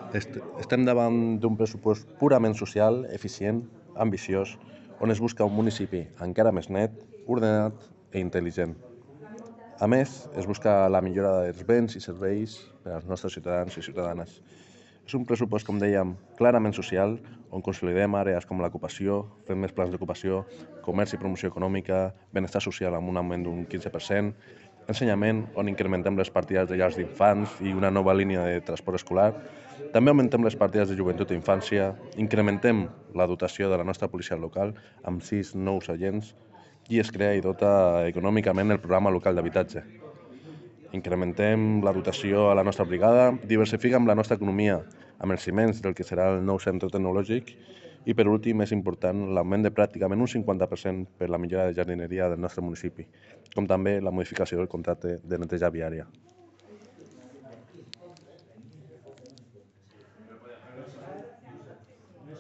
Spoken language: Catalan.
Estem davant d'un pressupost purament social, eficient, ambiciós, on es busca un municipi encara més net, ordenat i intel·ligent. A més, es busca la millora dels béns i serveis per als nostres ciutadans i ciutadanes. És un pressupost, com dèiem, clarament social, on consolidem àrees com l'ocupació, fem més plans d'ocupació, comerç i promoció econòmica, benestar social amb un augment d'un 15%, ensenyament, on incrementem les partides de llars d'infants i una nova línia de transport escolar. També augmentem les partides de joventut i infància, incrementem la dotació de la nostra policia local amb 6 nous agents i es crea i dota econòmicament el programa local d'habitatge. Incrementem la dotació a la nostra brigada, diversifiquem la nostra economia amb els ciments del que serà el nou centre tecnològic i, per últim, és important l'augment de pràcticament un 50% per la millora de jardineria del nostre municipi, com també la modificació del contracte de neteja viària.